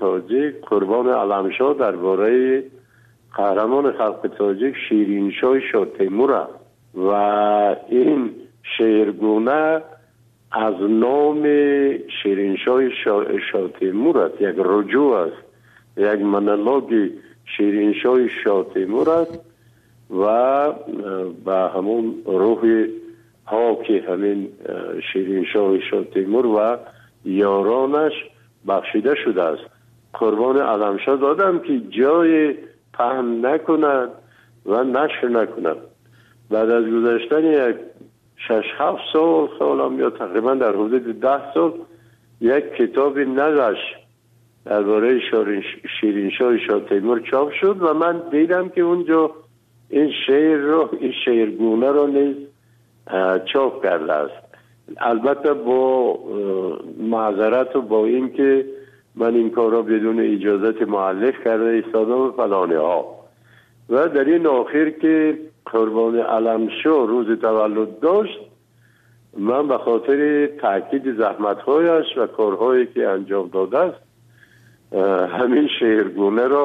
Тоҷик Қурбони Аламшоҳ дар бораи қаҳрамони халқи тоҷик Шириншоҳи Шоҳтемур аст ва ин шеъргуна аз номи Шириншоҳи Шоҳтемур аст, як руҷӯъ аст, як монологи Шириншоҳи Шоҳтемур аст ва ба ҳамон рӯҳи поки ҳамин Шириншоҳи Шоҳтемур ва ёронаш бахшида шудааст. Қурбони Аламшоҳ додам ки ҷои паҳн накунад ва нашр накунад. Баъд аз гузаштани як 6-7 сол, солам ё тақрибан дар ҳудуди 10 сол, як китоби наваш дар бораи Шириншоҳи Шоҳтемур чоп шуд ва ман дидам ки унҷо ин шеърро, ин шеъргунаро низ чоп кардааст. Албатта бо маъзарату бо ин ки ман ин корро бидуни иҷозати муаллиф карда истодам ва фалониҳо. Ва дар ин охир ки Қурбони Аламшоҳ рӯзи таваллуд дошт, ман ба хотири таъкиди заҳматҳояш ва корҳое ки анҷом додааст, ҳамин шеъргунаро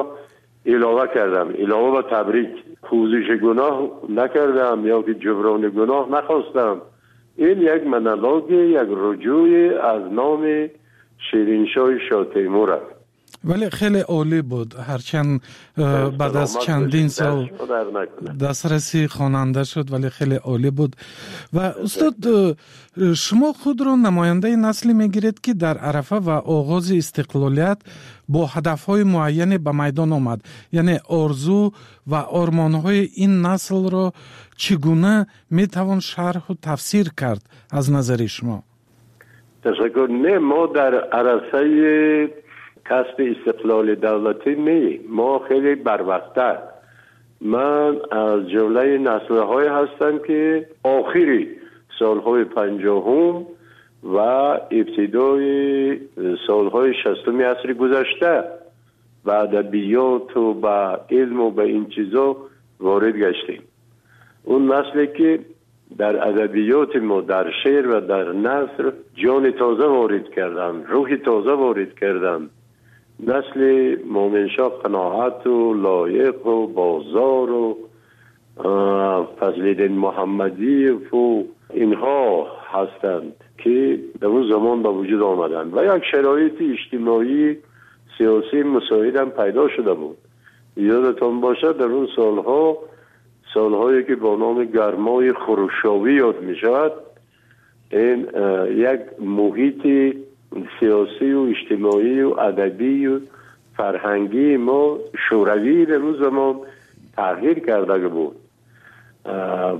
илова кардам. Илова ба табрик, пӯзиши гуноҳ накардам ё ки ҷуброни гуноҳ нахостам. Ин як монологи, як руҷӯи аз номи Шириншоҳи Шоҳтемур аст. Вале хеле олӣ буд, ҳарчанд баъд аз чандин сол дастраси хонанда шуд, вале хеле олӣ буд. Ва устод, шумо худро намояндаи насле мегиред, ки дар арафа ва оғози истиқлолият бо ҳадафҳои муайяне ба майдон омад. Яъне орзу ва ормонҳои ин наслро чӣ гуна метавон шарҳу тафсир кард аз назари шумо? Ташаккур. Не, мо дар арасаи касби истиқлоли давлатӣ не, мо хеле барвақттар. Ман аз ҷумлаи наслҳое ҳастам, ки охири солҳои 50-ум ва ибтидои солҳои 60-уми асри гузашта ба адабиёту ба илму ба ин чизо ворид гаштем. Он насле ки дар адабиёти мо, дар шеър ва дар наср ҷони тоза ворид карданд, рӯҳи тоза ворид карданд, насли Мӯминшоҳ Қаноату Лоиқу Бозору Фазлиддин Муҳаммадиеву инҳо ҳастанд, ки дар он замон ба вуҷуд омаданд ва як шароити иҷтимоӣ сиёсӣ мусоидам пайдо шуда буд. Ёдатон бошад, дар он солҳо, солҳое ки бо номи гармои хрушёвӣ ёд мешавад, ин як муҳити сиёсию иҷтимоию адабию фарҳангии мо шӯравӣ дар он замон тағйир карда буд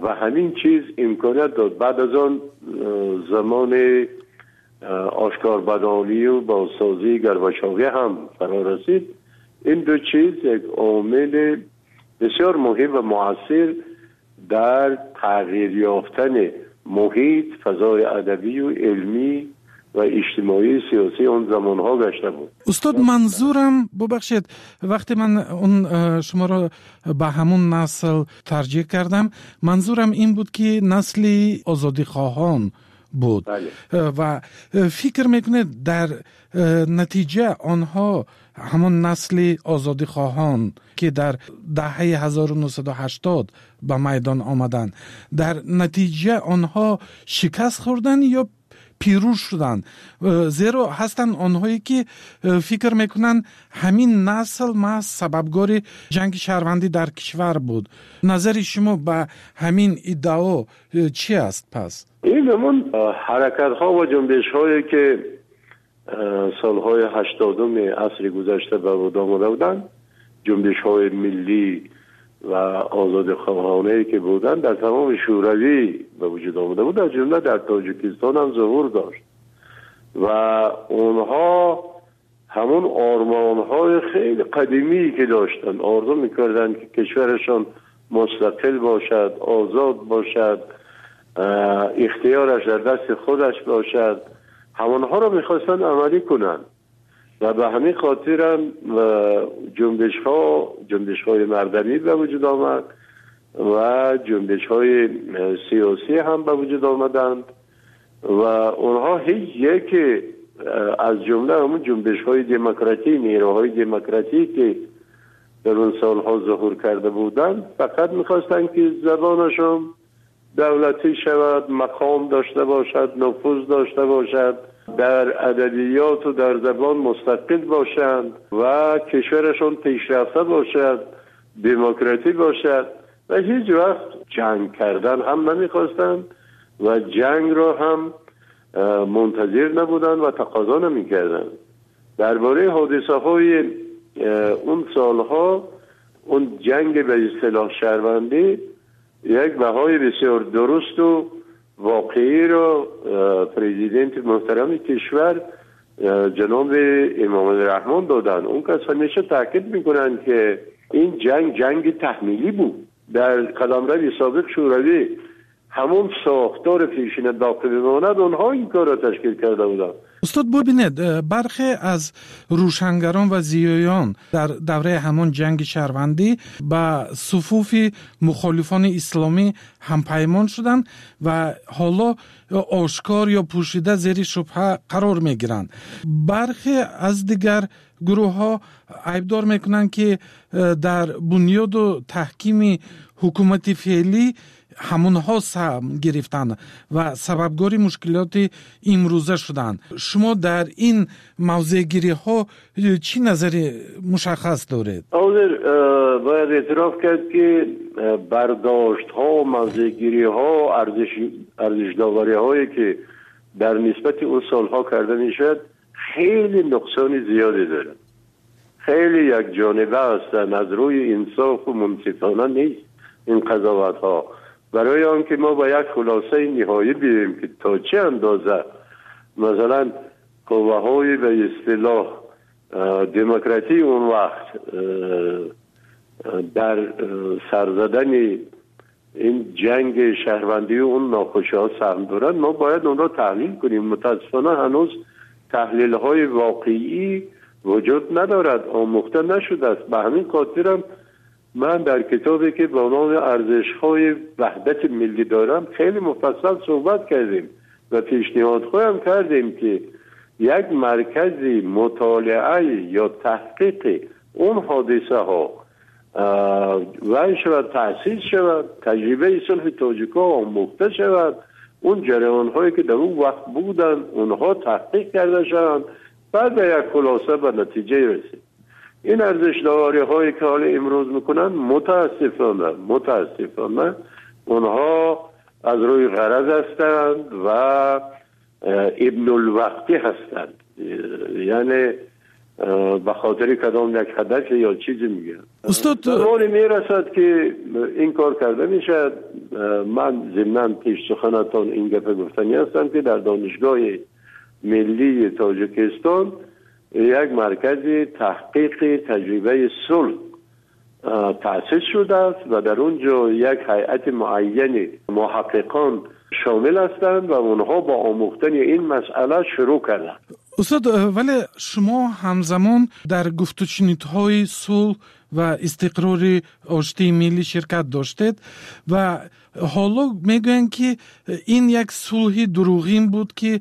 ва ҳамин чиз имконият дод. Баъд аз он замони ошкорбадонию бозсозии Горбачовӣ ҳам фаро расид. Ин ду чиз як омили бисёр муҳим ва муассир дар тағйир ёфтани муҳит, фазои адабию илмӣ ва иҷтимоии сиёсии он замонҳо гашта буд. Устод, манзурам, бубахшед, вақте ман он шуморо ба ҳамун насл тарҷеҳ кардам, манзурам ин буд, ки насли озодихоҳон буд. Ва фикр мекунед, дар натиҷа онҳо, ҳамон насли озодихоҳон, ки дар даҳаи 1980 ба майдон омаданд, дар натиҷа онҳо шикаст хӯрданд ё пирӯз шуданд? Зеро ҳастанд онҳое, ки фикр мекунанд, ҳамин насл маҳз сабабгори ҷанги шаҳрвандӣ дар кишвар буд. Назари шумо ба ҳамин иддао чӣ аст пас? Ин ҳамон ҳаракатҳо ва ҷунбишҳое ки солҳои 80-уми асри гузашта ба вуҷуд омада буданд, ҷунбишҳои миллӣ ва озодихоҳонае ки буданд, дар тамоми шӯравӣ ба вуҷуд омада буд, аз ҷумла дар Тоҷикистон ҳам зуҳур дошт ва онҳо ҳамон ормонҳои хеле қадимӣ ки доштанд, орзу мекарданд, ки кишварашон мустақил бошад, озод бошад, ихтиёраш дар дасти худаш бошад, ҳамонҳоро мехостанд амалӣ кунанд ва ба ҳамин хотирам ҷунбишҳо, ҷунбишҳои мардумӣ ба вуҷуд омад ва ҷунбишҳои сиёсӣ ҳам ба вуҷуд омаданд ва онҳо ҳеҷ яке از جمله همون جنبش های دموکراتی، نیروهای دموکراتی که در اون سالها ظهور کرده بودند، فقط میخواستند که زبانشون دولتی شود، مقام داشته باشد، نفوذ داشته باشد، در ادبیات و در زبان مستقل باشند و کشورشون پیشرفته باشد، دموکراتی باشد و هیچ وقت جنگ کردن هم نمیخواستند و جنگ را هم منتظر نبودند و تقاضا نمیکردند. درباره حادثه های اون سالها، اون جنگ به اصطلاح شهروندی، یک بهای بسیار درست و واقعی را پرزیدنت محترم کشور جناب امام الرحمن دادن. اون کس همیشه تاکید میکنن که این جنگ جنگ تحمیلی بود. در قلمرو سابق شوروی همون ساختار پیشین باقی بماند، اونها این کار را تشکیل کرده بودند. استاد، ببینید، برخی از روشنگران و زیایان در دوره همان جنگ شهروندی به صفوف مخالفان اسلامی همپیمان شدند و حالا آشکار یا پوشیده زیر شبهه قرار میگیرند. برخی از دیگر گروه ها عیبدار میکنند که در بنیاد و تحکیم حکومت فعلی ҳамонҳо саҳм гирифтанд ва сабабгори мушкилоти имрӯза шуданд. Шумо дар ин мавзеъгириҳо чӣ назари мушаххас доред? Ҳозир бояд эътироф кард, ки бардоштҳо, мавзеъгириҳо, арзишдовариҳое ки дар нисбати он солҳо карда мешавад, хеле нуқсони зиёде дорад, хеле якҷониба ҳастанд, аз рӯи инсофу мунсифона нест ин қазоватҳо. Барои он ки мо ба як хулосаи ниҳоӣ биёем ки то чӣ андоза масалан қувваҳои ба истилоҳ демократии он вақт дар сарзадани ин ҷанги шаҳрвандии он нохушиҳо саҳм доранд, мо бояд онро таҳлил кунем. Мутаассифона, ҳанӯз таҳлилҳои воқеӣ вуҷуд надорад, омӯхта нашудааст. Ба ҳамин хотирам ман дар китобе ки ба номи арзишҳои ваҳдати миллӣ дорам, хеле муфассал суҳбат кардем ва пешниҳодҳоям кардем, ки як маркази мутолиа ё таҳқиқи он ҳодисаҳо вай шавад, таъсис шавад, таҷрибаи сулҳи тоҷикҳо омӯхта шавад, он ҷараёнҳое ки дар он вақт буданд, онҳо таҳқиқ карда шаванд, баъд ба як хулоса, ба натиҷае расид. Ин арзишдовариҳое ки ҳоли имрӯз мекунанд, мутаассифона, онҳо аз рӯи ғараз ҳастанд ва ибнулвақтӣ ҳастанд, яъне ба хотири кадом як ҳадаф ё чизе мегӯянд. Устод, замоне мерасад ки ин кор карда мешавад. Ман зимнан пеш суханатон ин гапа гуфтанӣ ҳастам, ки дар Донишгоҳи миллии Тоҷикистон як маркази таҳқиқи таҷрибаи сулҳ таъсис шудааст ва дар он ҷо як ҳайати муайяни муҳаққиқон шомил ҳастанд ва онҳо бо омӯхтани ин масъала шурӯъ карданд. Устод, вале шумо ҳамзамон дар гуфтушунидҳои сулҳ ва истиқрори оштии миллӣ ширкат доштед ва ҳоло мегӯянд, ки ин як сулҳи дурӯғин буд, ки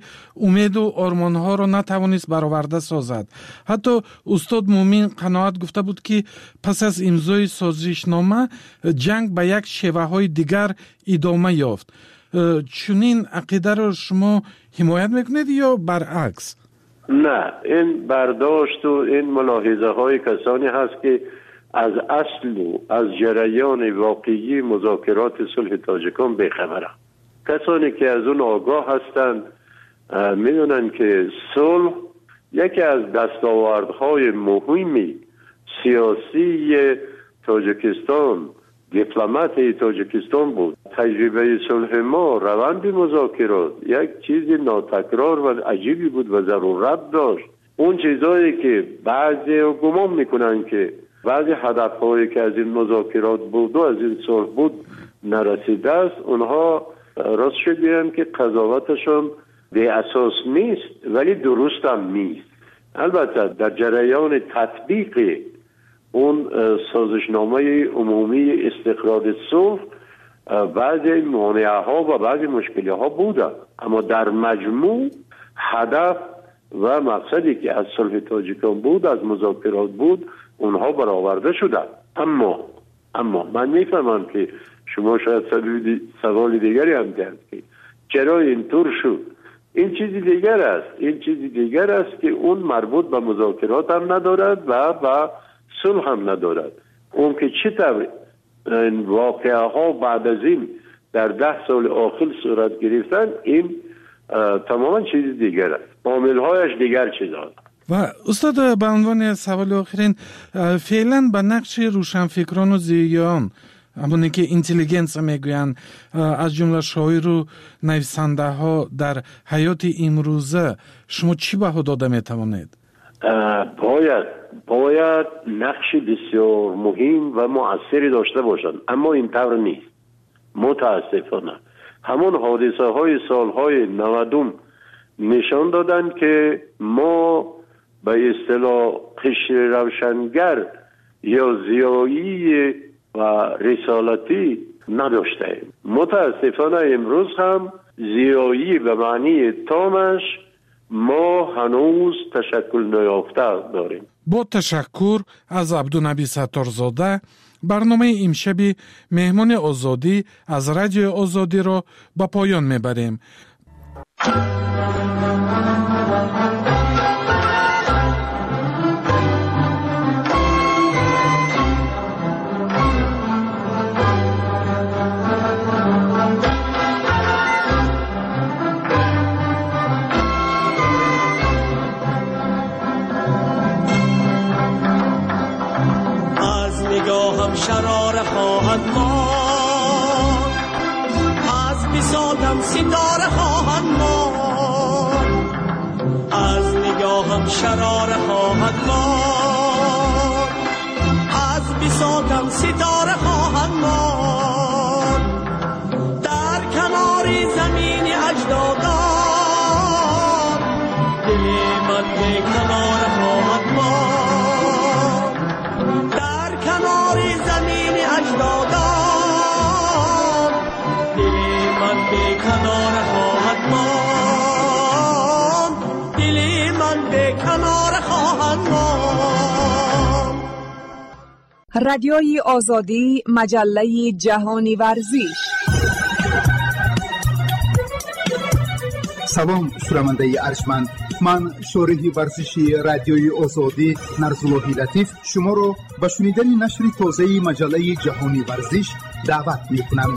умеду ормонҳоро натавонист бароварда созад. Ҳатто устод Муъмин Қаноат гуфта буд, ки пас аз имзои созишнома ҷанг ба як шеваҳои дигар идома ёфт. Чунин ақидаро шумо ҳимоят мекунед ё баръакс? Не, ин бардошту ин мулоҳизаҳои касоне ҳаст, ки аз аслу аз ҷараёни воқеии музокироти сулҳи тоҷикон бехабаранд. Касоне ки аз он огоҳ ҳастанд, медонанд, ки сулҳ яке аз дастовардҳои муҳими сиёсии Тоҷикистон, дипломатии Тоҷикистон буд. Таҷрибаи сулҳи мо, раванди музокирот як чизи нотакрор ва аҷибе буд ва зарурат дошт. Он чизҳое ки баъзе гумон мекунанд, ки баъзе ҳадафҳое ки аз ин музокирот буду аз ин сулҳ буд, нарасидааст, онҳо рост гӯям, ки қазоваташон беасос нест, вале дурустам нест. Албатта, дар ҷараёни татбиқи он созишномаи умумии истиқрори сулҳ баъзе монеаҳо ва баъзе мушкилиҳо буданд, аммо дар маҷмӯъ ҳадаф و مقصدی که از صلح تاجیکان بود، از مذاکرات بود، اونها برآورده شدند. اما من میفهمم که شما شاید سوال دیگری هم کرد که چرا اینطور شد. این چیزی دیگر است، این چیزی دیگر است که اون مربوط به مذاکرات هم ندارد و به صلح هم ندارد. اون که چطور این واقعه ها بعد از این در 10 سال آخر صورت گرفتن، این تماما چیز دیگر است، عاملهایش دیگر چیز است. و استاد، به عنوان سوال آخرین، فعلا به نقش روشنفکران و زیان، همونی که интеллигенция мегӯянд، аз ҷумла шоиру нависандаҳо дар ҳаёти имрӯза шумо чӣ баҳо дода метавонед? Бояд нақши бисёр муҳим ва муассире дошта бошанд, аммо ин тавр нест. мутаассифона ҳамон ҳодисаҳои солҳои 90 нишон доданд ки мо ба истилоҳ қишри равшангар ё зиёии و رسالتی نداشتیم. متاسفانه امروز هم زیایی به معنی تامش ما هنوز تشکل نیافته داریم. با تشکر از عبدالنبی ستارزاده، برنامه امشبی مهمان آزادی از رادیو آزادی را به پایان میبریم. شراره خواهد ماند، از بساطم ستاره خواهد ماند، از نگاهم شراره خواهد ماند، از بساطم ستاره خواهد ماند، در کنار زمین اجدادان دل من به کنار خواهد ماند، در کنار زمین اجدادان دل من به کنار خواهد ماند، دل من به کنار خواهد ماند. رادیوی آزادی، مجله جهانی ورزش. Салом, шунавандаи арҷманд. Ман шориҳи варзиши радиои Озодӣ Нарзуллоҳи Латиф шуморо ба шунидани нашри тозаи маҷаллаи ҷаҳони варзиш даъват мекунам.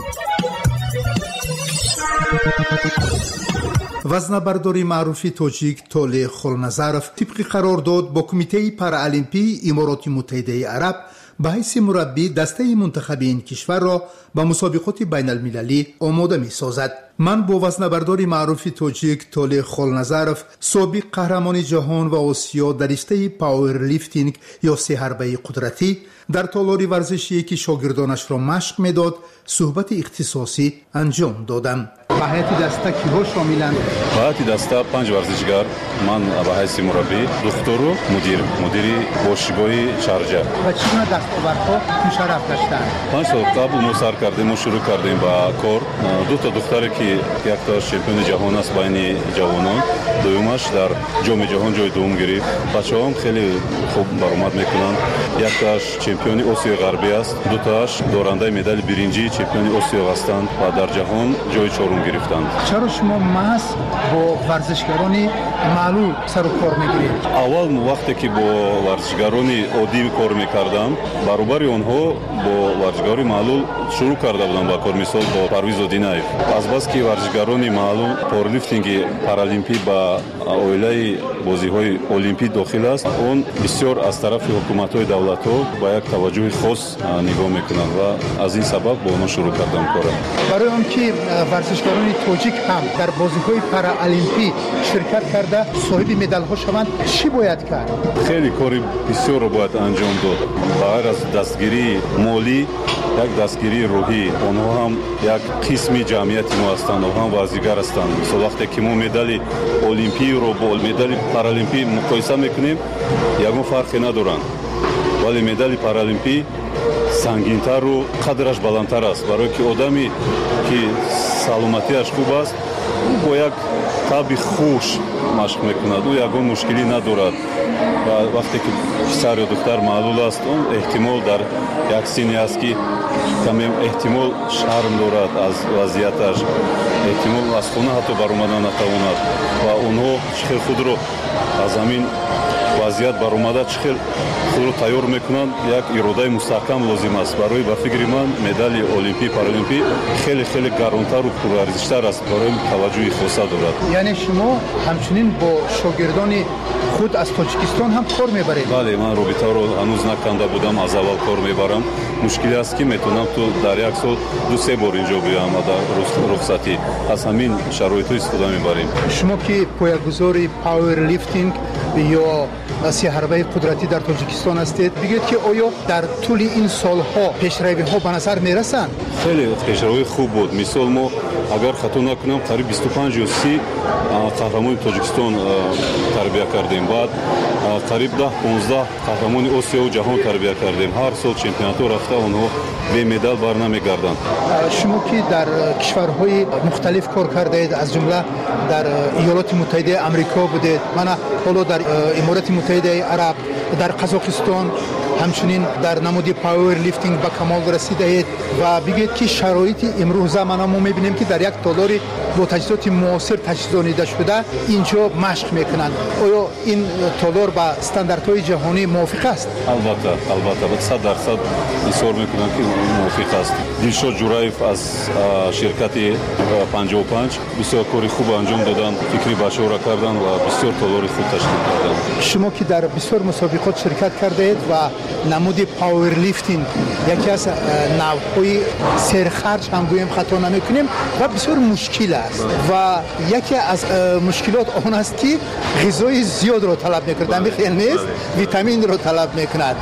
Вазнабардори маъруфи тоҷик Толеъ Холназаров тибқи қарордод бо Кумитаи Параолимпии Имороти Муттаҳидаи Араб ба ҳайси мураббӣ дастаи мунтахаби ин кишварро ба мусобиқоти байналмилалӣ омода месозад. Ман бо вазнабардори маъруфи тоҷик Толеъ Холназаров, собиқ қаҳрамони ҷаҳон ва Осиё дар риштаи пауэрлифтинг ё сеҳарбаи қудратӣ, дар толори варзишие ки шогирдонашро машқ медод, суҳбати ихтисосӣ анҷом додам. Ба ҳайати даста киҳо шомиланд? Ба ҳайати даста 5 варзишгар, ман ба ҳайси мураббӣ, духтуру мудир, мудири бошгоҳи Шарҷа. Ва чӣ гуна дастовардҳо мушарраф гаштанд? 5 сол қабл мо сар кардем, мо шурӯъ кардем ба кор. Ду та духтаре ки яктоаш чемпиони ҷаҳон аст байни ҷавонон, дуюмаш дар ҷоми ҷаҳон ҷои дуюм гирифт. Бачаҳоам хеле хуб баромад мекунанд. Яктоаш чемпиони Осиёи Ғарбӣ аст, дутоаш дорандаи медали биринҷии чемпиони Осиё ҳастанд ва дар ҷаҳон ҷои чорум гирифтанд. Чаро шумо маҳз бо варзишгарони маълул сару кор мегиред? Аввал вақте ки бо варзишгарони оддӣ кор мекардам, баробари онҳо бо варзишгарони маълул шурӯъ карда будам ба кор, мисол бо Парвиз Одинаев. Азбаски варзишгарони маълул пауэрлифтинги паралимпӣ ба оилаи бозиҳои олимпӣ дохил аст, он бисёр аз тарафи ҳукуматҳои давлатҳо ба як таваҷҷӯҳи хос нигоҳ мекунанд ва аз ин сабаб бо онҳо шурӯъ кардам кора. Барои он ки варзишгарони тоҷик ҳам дар бозиҳои параолимпӣ ширкат карда соҳиби медалҳо шаванд, чӣ бояд кард? Хеле кори бисёрро бояд анҷом дод. Ба ғайр аз дастгирии молӣ, як дастгирии рӯҳӣ. Онҳо ҳам як қисми ҷамъияти мо ҳастанд, онҳо ҳам варзигар ҳастанд. Мисол вақте ки мо медали олимпиро бо медали паралимпӣ муқоиса мекунем, ягон фарқе надоранд. Вале медали паралимпӣ сангинтару қадраш баландтар аст, барое ки одаме ки саломатиаш хуб аст, ӯ бо як таби хуш, машқ мекунад, ӯ ягон мушкилӣ надорад. Ва вақте ки писар ё духтар маълул аст, он эҳтимол дар як синне аст, ки каме эҳтимол шарм дорад аз вазъияташ, эҳтимол аз хона ҳатто баромада натавонад. Ва онҳо чӣ хел худро аз ҳамин вазъият баромада, чӣ хел худро тайёр мекунанд, як иродаи мустаҳкам лозим аст. Барои, ба фикри ман, медали олимпӣ, паралимпӣ хеле хеле гаронтару пурарзиштар аст, барои таваҷҷӯҳи хоса дорад. Яъне шумо ҳамчунин бо шогирдони худ аз Тоҷикистон ҳам кор мебаред? Бале, ман робитаро ҳанӯз наканда будам, аз аввал кор мебарам. Мушкиле аст, ки метавонам ту дар як сол 2-3 бор инҷо биёям, дар рухсатӣ аз ҳамин шароитҳо истифода мебарем. Шумо ки поягузори пауэрлифтинг ё сеҳарбаи қудратӣ дар Тоҷикистон ҳастед, бигӯед, ки оё дар тӯли ин солҳо пешравиҳо ба назар мерасанд? Хеле пешравии хуб буд. Мисол, мо, агар хато накунам, қариб 25 ё 30 қаҳрамони Тоҷикистон тарбия кардем, баъд қариб 10-15 қаҳрамони Осиёву ҷаҳон тарбия кардем. Ҳар сол чемпионатҳо рафта, онҳо бемедал бар намегарданд. Шумо ки дар кишварҳои мухталиф кор кардаед, аз ҷумла дар Иёлоти Муттаҳидаи Амрико будед, мана ҳоло дар Иморати Муттаҳидаи Араб, дар Қазоқистон ҳамчунин дар намуди пауэрлифтинг ба камол расидаед, ва бигӯед, ки шароити имрӯза, мана мо мебинем, ки дар як толори бо таҷҳизоти муосир таҷҳизонида шуда инҷо машқ мекунанд, оё ин толор ба стандартҳои ҷаҳонӣ мувофиқ аст? Албатта, албатта, 100% изҳор мекунам, ки мувофиқ аст. Дилшод Ҷураев аз ширкати 55 бисёр кори хуб анҷом доданд, фикри бачаҳоро карданд ва бисёр толори хуб ташкил карданд. Шумо ки дар бисёр мусобиқот ширкат кардаед ва намуди пауэрлифтинг яке аз навъҳои серхарҷ ҳам гӯем, хато намекунем, ва бисёр мушкил аст, ва яке аз мушкилот он аст, ки ғизои зиёдро талаб мекунад, ҳамин хел нест? Витаминро талаб мекунад.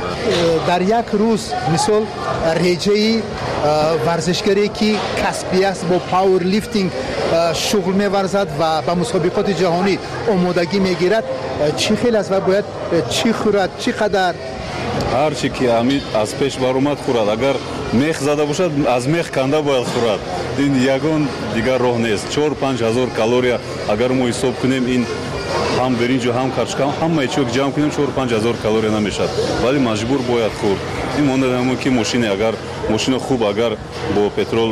Дар як рӯз, мисол, реҷаи варзишгаре ки касбӣ аст, бо пауэрлифтинг шуғл меварзад ва ба мусобиқоти ҷаҳонӣ омодагӣ мегирад, чӣ хел аст ва бояд чӣ хӯрад, чӣ қадар? Ҳар чи ки ҳамин аз пеш баромад, хӯрад. Агар мех зада бошад, аз мех канда бояд хӯрад, ин ягон дигар роҳ нест. 4-5 ҳазор калория агар мо ҳисоб кунем, ин ҳам биринҷу ҳам картошка, ҳамаи чио ҷамъ кунем, 4-5 ҳазор калория намешавад, вале маҷбур бояд хӯрд. Ин монад ҳамон ки мошине, агар мошино хуб, агар бо петрол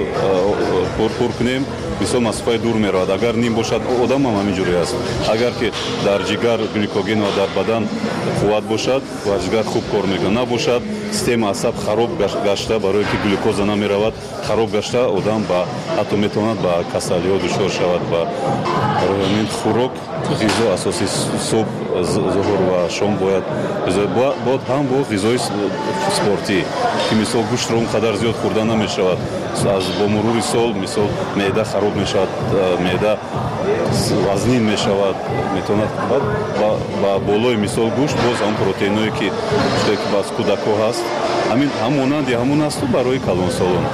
пур кунем, мисол, масофаи дур меравад, агар ним бошад, одамам ҳамин ҷуре аст. Агар ки дар ҷигар гликоген ва дар бадан қувват бошад, варзишгар хуб кор мекунад. Набошад, система асаб хароб гашта, барое ки глюкоза намеравад, хароб гашта, одам ба ҳатто метавонад ба касалиҳо дучор шавад. Ба барои ҳамин хӯрок, ғизо асоси, субҳ, зуҳур ва шом бояд бод, ҳам бо ғизои спортӣ, ки мисол гӯштро он қадар зиёд хӯрда намешавад. Аз бо мурури сол, мисол, меъда хароб мешавад, меъда вазнин мешавад, метавонад баъд ба болои, мисол, гӯшт боз ҳам протеиное ки ки аз кӯдакҳо ҳаст, ҳамин ҳам монанди ҳамон асту барои калонсолон,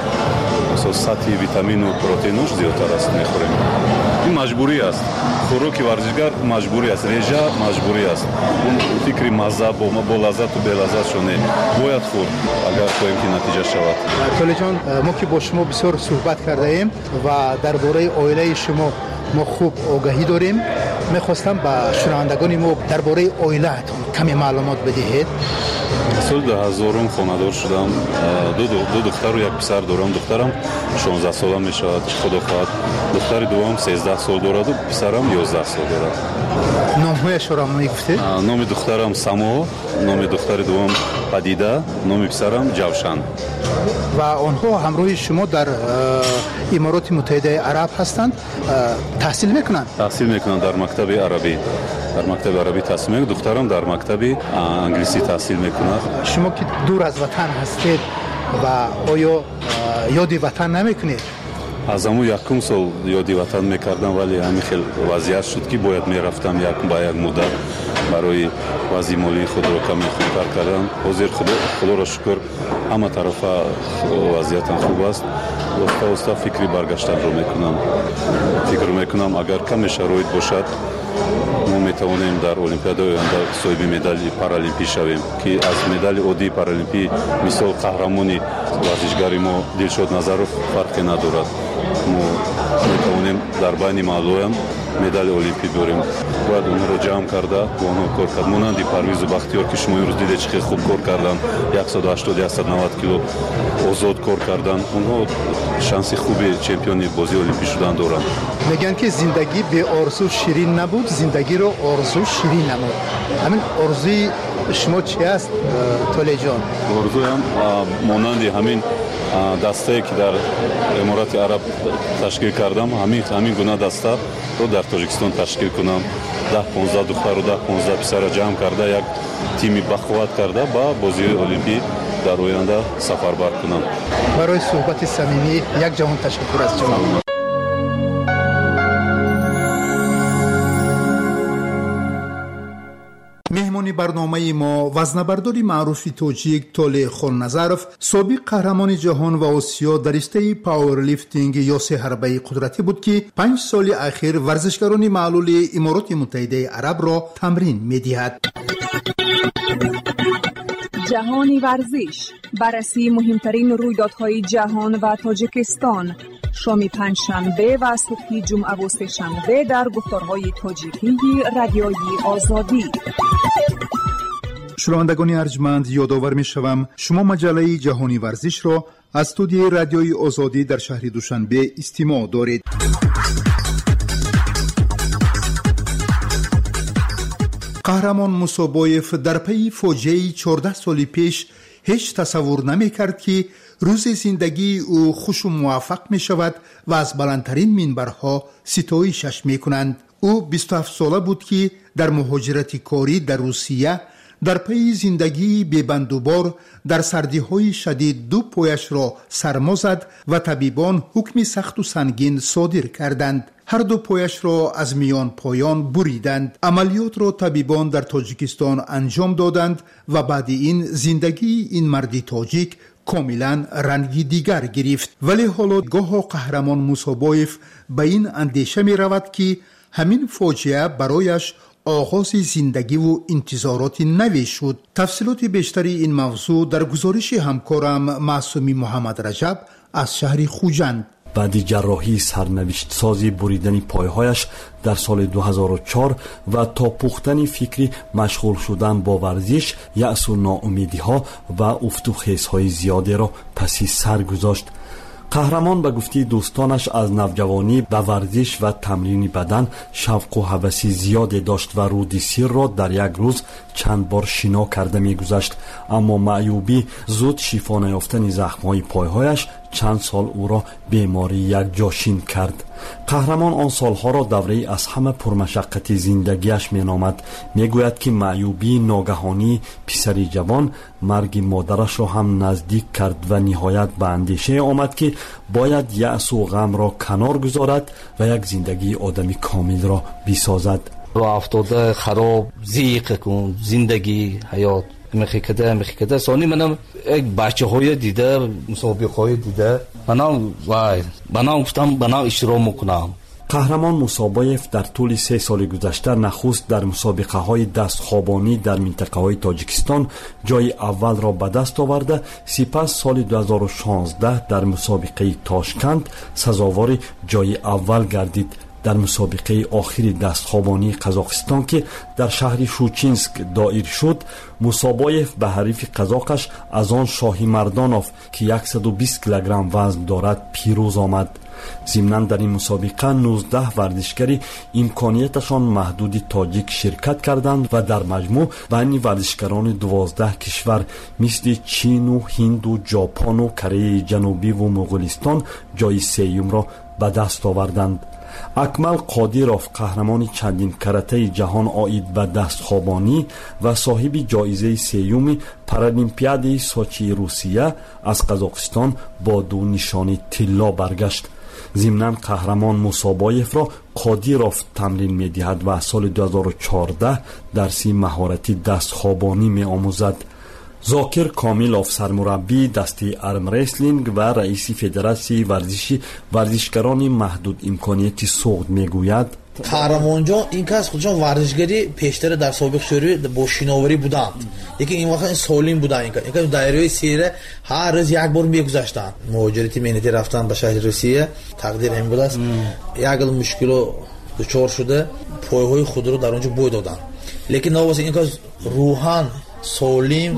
мисол, сатҳи витамину протеинош зиёдтар аст, мехӯрем. Ин маҷбурӣ аст, хӯроки варзишгар маҷбурӣ аст, режа маҷбурӣ аст. Он фикри мазза, бо лаззату белаззатшо не, бояд хӯрд, агар хоҳем, ки натиҷа шавад. Толиҷон, мо ки бо шумо бисёр суҳбат кардаем ва дар бораи оилаи шумо мо хуб огаҳӣ дорем, мехостам ба шунавандагони мо дар бораи оилаатон каме маълумот бидиҳед. Соли 2000-ум хонадор шудам, ду духтару як писар дорам. Духтарам 16-сола мешавад, худо хоҳад. Духтари дуввум 13 сол дораду писарам 11 сол дорад. Номҳояшро мегуфтед? Номи духтарам Само, номи духтари дуввум Падида, номи писарам Ҷавшан. Ва онҳо ҳамроҳи шумо дар Имороти Муттаҳидаи Араб ҳастанд, таҳсил мекунанд? Таҳсил мекунанд дар мактаби арабӣ, дар мактаби арабӣ таҳсил мекунад. Духтарам дар мактаби англисӣ таҳсил мекунад. Шумо ки дур аз ватан ҳастед, ва оё ёди ватан намекунед? Аз ҳамун якум сол ёди ватан мекардам, вале ҳамин хел вазъият шуд, ки бояд мерафтам як ба як муддат барои вазъи молии худро каме хубтар кардан. Ҳозир, худоро шукр, ҳама тарафа вазъиятам хуб аст. Оста оста фикри баргаштанро мекунам. Фикр мекунам, агар каме шароит бошад, мо метавонем дар олимпиадаи оянда соҳиби медали паралимпӣ шавем, ки аз медали оддии паралимпӣ, мисол, қаҳрамони варзишгари мо Дилшод Назаров, фарқе надорад. Мо метавонем дар байни маълулоям Медали олимпӣ дорем. Бояд онҳоро ҷамъ карда, бо онҳо кор кард. Монанди Парвизу Бахтиёр, ки шумо имрӯз дидед, чӣ хел хуб кор карданд, 180-190 кило озод кор карданд. Онҳо шанси хуби чемпиони бозии олимпӣ шудан доранд. Мегӯянд, ки зиндагӣ беорзу ширин набуд, зиндагиро орзу ширин намуд. Ҳамин орзуи шумо чи аст, Толеъҷон? Орзуям монанди ҳамин дастае, ки дар Аморати Араб ташкил кардам, ҳамин гуна дастаро дар Тоҷикистон ташкил кунам. 10-15 духтару 10-15 писара ҷамъ карда, як тими бақувват карда, ба бозиҳои олимпӣ дар оянда сафарбар кунам. Барои суҳбати самимӣ як ҷаҳон ташаккур аз шумо. Меҳмони барномаи мо вазнабардори маъруфи тоҷик Толеъ Холназаров, собиқ қаҳрамони ҷаҳон ва Осиё дар риштаи пауэрлифтинг ё сеҳарбаи қудратӣ буд, ки 5 соли ахир варзишгарони маълули Имороти Муттаҳидаи Арабро тамрин медиҳад. Ҷаҳони варзиш, баррасии муҳимтарин рӯйдодҳои ҷаҳон ва Тоҷикистон, шоми панҷшанбе ва субҳи ҷумъаву сешанбе дар гуфторҳои тоҷикии Радиои Озодӣ. Шунавандагони арҷманд, ёдовар мешавам, шумо маҷаллаи Ҷаҳони варзишро аз студияи Радиои Озодӣ дар шаҳри Душанбе истимоъ доред. Қаҳрамон Мусобоев дар пайи фоҷиаи 14 соли пеш ҳеҷ тасаввур намекард, ки рӯзи зиндагии ӯ хушу муваффақ мешавад ва аз баландтарин минбарҳо ситоишаш мекунанд. Ӯ 27 сола буд, ки дар муҳоҷирати корӣ дар Русия, дар пайи зиндагии бебандубор дар сардиҳои шадид, ду пояшро сармо зад ва табибон ҳукми сахту сангин содир карданд: ҳарду пояшро аз миён поён буриданд. Амалиётро табибон дар Тоҷикистон анҷом доданд ва баъди ин зиндагии ин марди тоҷик комилан ранги дигар гирифт. Вале ҳоло гоҳо Қаҳрамон Мусобоев ба ин андеша меравад, ки ҳамин фоҷиа барояш оғози зиндагиву интизороти наве шуд. Тафсилоти бештари ин мавзӯъ дар гузориши ҳамкорам Маъсуми Муҳаммадраҷаб аз шаҳри Хуҷанд. Баъди ҷарроҳии сарнавиштсози буридани пойҳояш дар соли 2004 ва то пухтани фикри машғул шудан бо варзиш, яъсу ноумедиҳо ва уфту хезҳои зиёдеро паси сар гузошт. Қаҳрамон, ба гуфтаи дӯстонаш, аз навҷавонӣ ба варзиш ва тамрини бадан шавқу ҳаваси зиёде дошт ва руди Сирро дар як рӯз чанд бор шино карда мегузашт. Аммо маъюбӣ, зуд шифо наёфтани захмҳои пойҳояш чанд сол ӯро беморӣ якҷошин кард. Қаҳрамон он солҳоро давраи аз ҳама пурмашаққати зиндагиаш меномад. Мегӯяд, ки маъюбии ногаҳонии писари ҷавон марги модарашро ҳам наздик кард ва ниҳоят ба андешае омад, ки бояд яъсу ғамро канор гузорад ва як зиндагии одами комилро бисозад. Роҳ хароб, зиқ кун, зиндагӣ, ҳаёт мехикада мехикада. Сони манам як бачаҳое дида, мусобиқаҳое дида, манам вай, банам гуфтам, банам иштирок мекунам. Қаҳрамон Мусобоев дар тӯли 3 соли гузашта нахуст дар мусобиқаҳои дастхобонӣ дар минтақаҳои Тоҷикистон ҷои аввалро ба даст оварда, сипас соли 2016 дар мусобиқаи Тошканд сазовори ҷои аввал гардид. Дар мусобиқаи охири дастхобонии Қазоқистон, ки дар шаҳри Шучинск доир шуд, Мусобоев ба ҳарифи қазоқаш аз он Шоҳимардонов, ки 120 килограмм вазн дорад, пирӯз омад. Зимнан, дар ин мусобиқа 19 варзишгари имконияташон маҳдуди тоҷик ширкат карданд ва дар маҷмӯъ байни варзишгарони 12 кишвар, мисли Чину Ҳинду, Ҷопону Кореяи Ҷанубиву Муғулистон, ҷои сеюмро ба даст оварданд. Акмал Қодиров, қаҳрамони чандин каратаи ҷаҳон оид ба дастхобонӣ ва соҳиби ҷоизаи сеюми Паралимпиадаи Сочии Русия, аз Қазоқистон бо ду нишони тилло баргашт. Зимнан, Қаҳрамон Мусобоевро Қодиров тамрин медиҳад ва аз соли 2014 дарси маҳорати дастхобонӣ меомӯзад. Зокир Комилов, сармураббии дастаи армреслинг ва раиси Федератсияи варзиши варзишгарони маҳдудимконияти Суғд, мегӯяд: Қаҳрамонҷон, ин кас худшон варзишгари пештара дар собиқ Шӯравӣ бо шиноварӣ буданд, лекин ин вақт солим буданд. Ин кас дарёи Сира ҳар рӯз як бор мегузаштанд. Муҳоҷирати меҳнатӣ рафтан ба шаҳри Русия, тақдир ҳамин будааст. Як гул мушкило дучор шуда пойҳои худро дар онҷо бой доданд. Лекин новобаста ин кас рӯҳан солим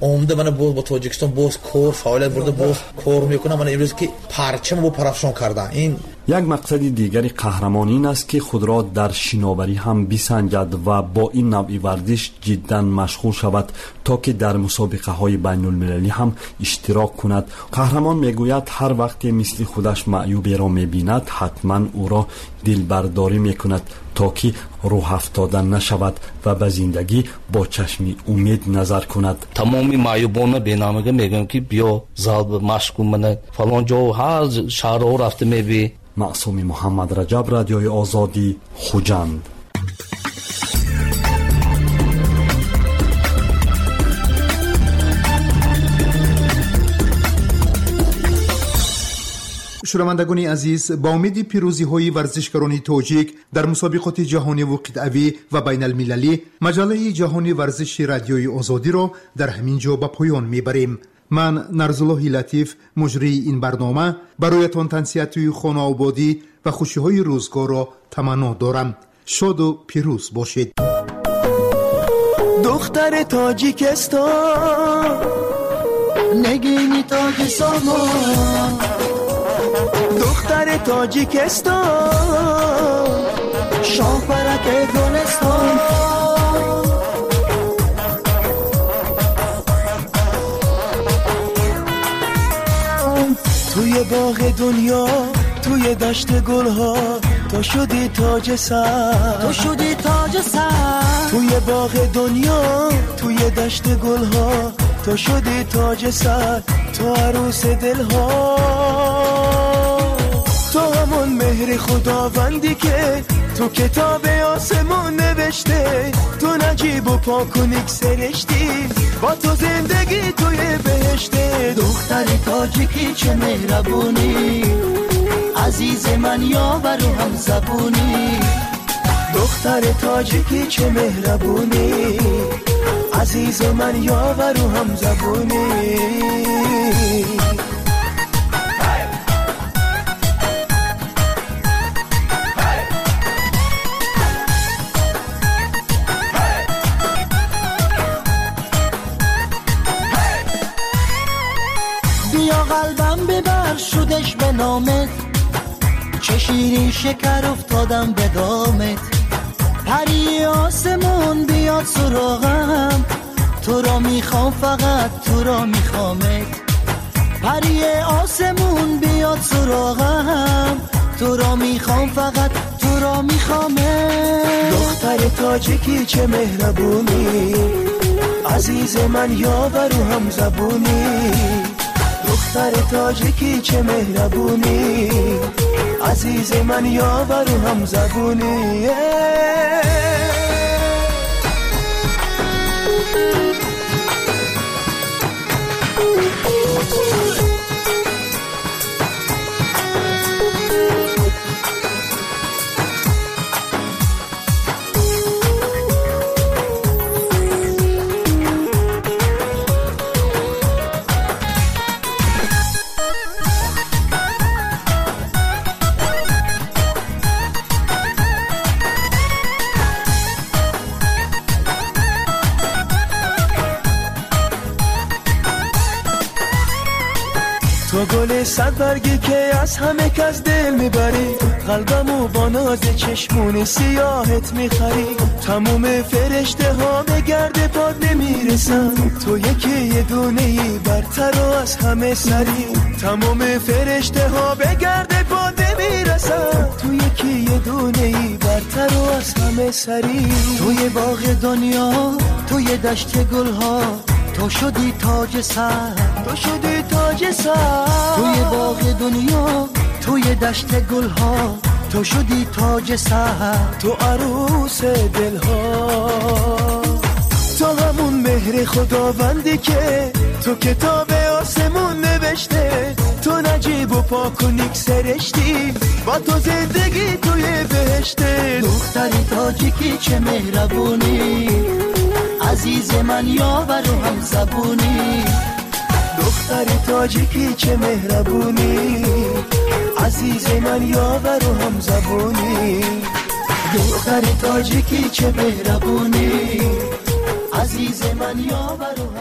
омада мана боз ба Тоҷикистон боз кор фаъолият бурда, боз кор мекунад. Мана имрӯз ки парчам бо парафшон кардан. Ин як мақсади дигари қаҳрамон ин аст, ки худро дар шиноварӣ ҳам бисанҷад ва бо ин навъи варзиш ҷиддан машғул шавад, то ки дар мусобиқаҳои байнулмилалӣ ҳам иштирок кунад. Қаҳрамон мегӯяд, ҳар вақте мисли худаш маъюберо мебинад, ҳатман ӯро дилбардорӣ мекунад, то ки рӯҳафтода нашавад ва ба зиндагӣ бо чашми умед назар кунад. Тамоми маъюбона бенамага мегӯям, ки биё зал машқ кун, мана фалон ҷо ҳар шаҳрҳо рафта мебӣ. Маъсуми Муҳаммад Раҷаб, Радиои Озодӣ, Хуҷанд. Шунавандагони азиз, ба умеди пирӯзиҳои варзишгарони тоҷик дар мусобиқоти ҷаҳониву қитъавӣ ва байналмилалӣ, маҷаллаи ҷаҳони варзиши Радиои Озодиро дар ҳамин ҷо ба поён мебарем. Ман Нарзуллоҳи Латиф, муҷрии ин барнома, бароятон тансиҳатии хонаободӣ ва хушиҳои рӯзгорро таманно дорам. Шоду пирӯз бошед. Духтари Тоҷикистон, нигини тоҷи сомон, духтари Тоҷикистон, шоҳпараки гулистон. توی باغ دنیا، توی دشت گلها، تو شدی تاج سر، تو شدی تاج سر. توی باغ دنیا، توی دشت گلها، تو شدی تاج سر، تو عروس دلها. تو همون مهر خداوندی که تو کتاب آسمون نوشته، تو نجیب و پاک و نیک سرشتی، با تو زندگی توی بهشته. دختر تاجیکی چه مهربونی، عزیز من یاور و هم زبونی. دختر تاجیکی چه مهربونی، عزیز من یاور و هم زبونی. شدش به نامت، چه شیرین شکر افتادم به دامت. پری آسمون بیاد سراغم، تو را میخوام فقط تو را میخوامت. پری آسمون بیاد سراغم، تو را میخوام فقط تو را میخوامت. دختر تاجیکی چه مهربونی، عزیز من یاور و هم زبونی. دختر تاجیکی چه مهربونی، عزیز من یاور و هم زبونی. تو گل صد برگی که از همه کس دل میبری، قلبمو با ناز چشمون سیاهت میخری. تموم فرشته ها به گرد پاد نمیرسن، تو یکی یه دونه ای برتر و از همه سری. تموم فرشته ها به گرد پاد نمیرسن، تو یکی یه دونه ای برتر و از همه سری. توی باغ دنیا، توی دشت گلها، تو شدی تاج سر، تو شدی تاج سر. توی باغ دنیا، توی دشت گلها، تو شدی تاج سر، تو عروس دلها. تو همون مهر خداوندی که تو کتاب آسمون نوشته، تو نجیب و پاک و نیک سرشتی، با تو زندگی توی بهشته. دختری تاجیکی چه مهربونی، عزیز من یاور و هم زبونی. دختر تاجیکی چه مهربونی، عزیز من یاور و هم زبونی. دختر تاجیکی چه مهربونی، عزیز من یاور.